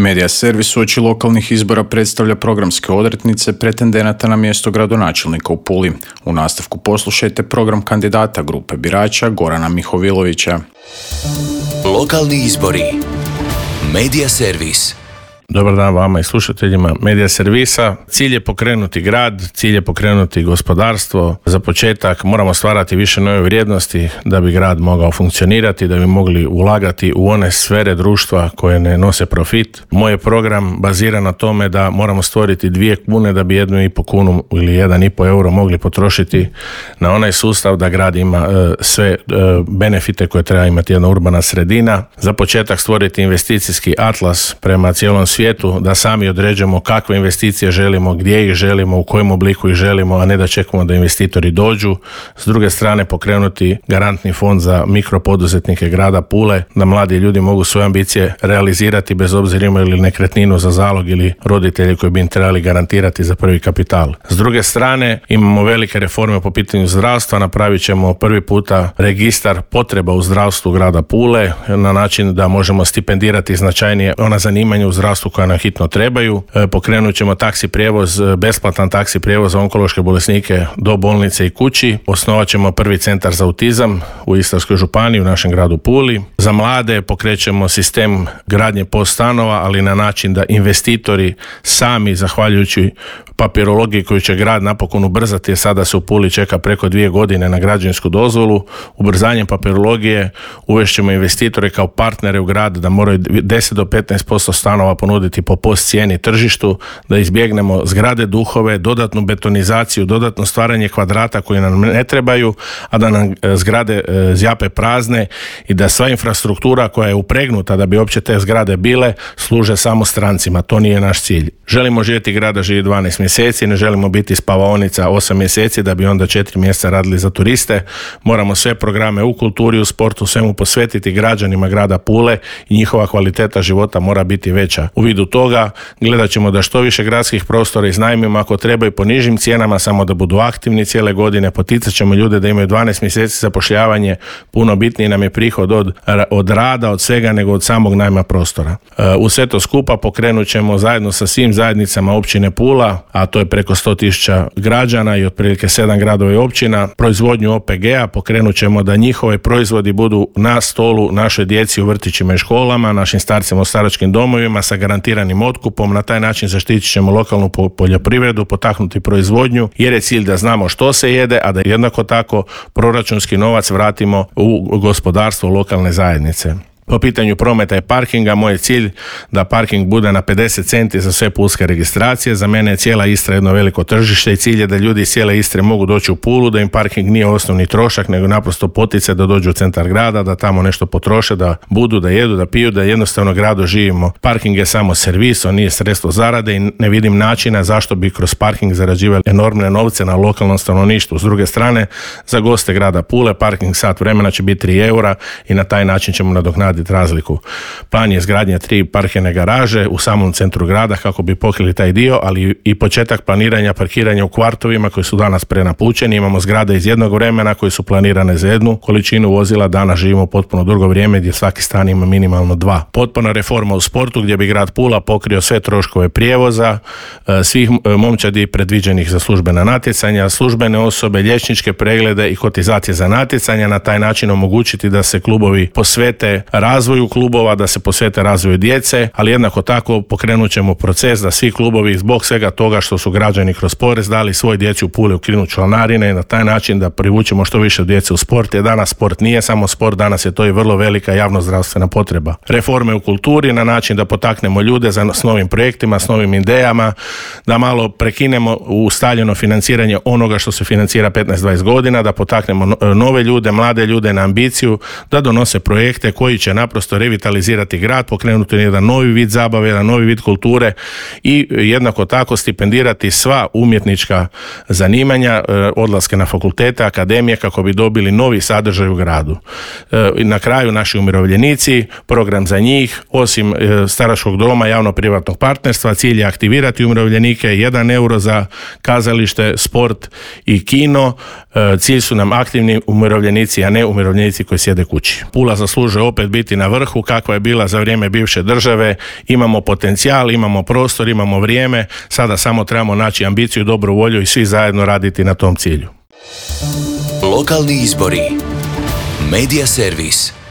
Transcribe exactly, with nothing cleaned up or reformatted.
Medija servis uoči lokalnih izbora predstavlja programske odrednice pretendenata na mjesto gradonačelnika u Puli. U nastavku poslušajte program kandidata grupe birača Gorana Mihovilovića. Lokalni izbori. Medija servis. Dobar dan vama i slušateljima Medija servisa. Cilj je pokrenuti grad, cilj je pokrenuti gospodarstvo. Za početak moramo stvarati više nove vrijednosti da bi grad mogao funkcionirati, da bi mogli ulagati u one sfere društva koje ne nose profit. Moj je program baziran na tome da moramo stvoriti dvije kune da bi jednu i po kunu ili jedan i po euro mogli potrošiti na onaj sustav da grad ima e, sve e, benefite koje treba imati jedna urbana sredina. Za početak stvoriti investicijski atlas prema cijelom svijetu, da sami određujemo kakve investicije želimo, gdje ih želimo, u kojem obliku ih želimo, a ne da čekamo da investitori dođu. S druge strane pokrenuti garantni fond za mikropoduzetnike grada Pule, da mladi ljudi mogu svoje ambicije realizirati bez obzira imaju li nekretninu za zalog ili roditelji koji bi im trebali garantirati za prvi kapital. S druge strane imamo velike reforme po pitanju zdravstva, napravit ćemo prvi puta registar potreba u zdravstvu grada Pule na način da možemo stipendirati značajnije ona zanimanja u zdravstvu koja nam hitno trebaju. E, pokrenut ćemo taksi prijevoz, besplatan taksi prijevoz za onkološke bolesnike do bolnice i kući. Osnovat ćemo prvi centar za autizam u Istarskoj županiji u našem gradu Puli. Za mlade pokrećemo sistem gradnje post stanova, ali na način da investitori sami, zahvaljujući papirologiji koju će grad napokon ubrzati, jer sada se u Puli čeka preko dvije godine na građevinsku dozvolu. Ubrzanjem papirologije uvešćemo investitore kao partnere u grad da moraju deset do petnaest posto stanova ponuditi po post cijeni tržištu, da izbjegnemo zgrade duhove, dodatnu betonizaciju, dodatno stvaranje kvadrata koji nam ne trebaju, a da nam zgrade zjape prazne i da sva infrastruktura koja je upregnuta da bi uopće te zgrade bile služe samo strancima. To nije naš cilj. Želimo živjeti grada živi dvanaest mjeseci, ne želimo biti spavaonica osam mjeseci da bi onda četiri mjeseca radili za turiste. Moramo sve programe u kulturi, u sportu, svemu posvetiti građanima grada Pule i njihova kvaliteta života mora biti veća. U vidu toga gledat ćemo da što više gradskih prostora iznajmimo ako treba i po nižim cijenama, samo da budu aktivni cijele godine. Poticat ćemo ljude da imaju dvanaest mjeseci zapošljavanje, puno bitniji nam je prihod od, od rada, od svega nego od samog najma prostora. U sve to skupa pokrenut ćemo zajedno sa svim zajednicama općine Pula, a to je preko sto tisuća građana i otprilike sedam gradova i općina, proizvodnju O P G-a. Pokrenut ćemo da njihove proizvodi budu na stolu našoj djeci u vrtićima i školama, našim starcima u staračkim domovima sa garantiranim otkupom. Na taj način zaštitit ćemo lokalnu poljoprivredu, potaknuti proizvodnju, jer je cilj da znamo što se jede, a da jednako tako proračunski novac vratimo u gospodarstvo lokalne zajednice. Po pitanju prometa i parkinga, moj je cilj da parking bude na pedeset centi za sve pulske registracije. Za mene je cijela Istra jedno veliko tržište i cilj je da ljudi iz cijele Istre mogu doći u Pulu, da im parking nije osnovni trošak, nego naprosto poticaj da dođu u centar grada, da tamo nešto potroše, da budu, da jedu, da piju, da jednostavno gradu živimo. Parking je samo servis, on nije sredstvo zarade i ne vidim načina zašto bi kroz parking zarađivali enormne novce na lokalnom stanovništvu. S druge strane, za goste grada Pule parking sat vremena će biti tri eura i na taj način ćemo nadoknaditi razliku. Plan je izgradnja tri parkirne garaže u samom centru grada kako bi pokrili taj dio, ali i početak planiranja parkiranja u kvartovima koji su danas prenapučeni. Imamo zgrade iz jednog vremena koje su planirane za jednu količinu vozila, danas živimo potpuno drugo vrijeme gdje svaki stan ima minimalno dva. Potpuna reforma u sportu gdje bi grad Pula pokrio sve troškove prijevoza, svih momčadi predviđenih za službena natjecanja, službene osobe, liječničke preglede i kotizacije za natjecanja, na taj način omogućiti da se klubovi posvete razvoju klubova, da se posvete razvoju djece, ali jednako tako pokrenut ćemo proces da svi klubovi zbog svega toga što su građani kroz porez dali svoj djeci u Puli ukinu članarine i na taj način da privučemo što više djece u sport, jer danas sport nije samo sport, danas je to i vrlo velika javnozdravstvena potreba. Reforme u kulturi na način da potaknemo ljude za, s novim projektima, s novim idejama, da malo prekinemo ustaljeno financiranje onoga što se financira petnaest dvadeset godina, da potaknemo nove ljude, mlade ljude na ambiciju, da donose projekte koji će naprosto revitalizirati grad, pokrenuti jedan novi vid zabave, jedan novi vid kulture i jednako tako stipendirati sva umjetnička zanimanja, odlaske na fakultete, akademije kako bi dobili novi sadržaj u gradu. Na kraju naši umirovljenici, program za njih, osim staračkog doma, javno-privatnog partnerstva, cilj je aktivirati umirovljenike, jedan euro za kazalište, sport i kino. Cilj su nam aktivni umirovljenici, a ne umirovljenici koji sjede kući. Pula zaslužuje opet biti biti na vrhu kakva je bila za vrijeme bivše države. Imamo potencijal, imamo prostor, imamo vrijeme, sada samo trebamo naći ambiciju, dobru volju i svi zajedno raditi na tom cilju. Lokalni izbori. Medija servis.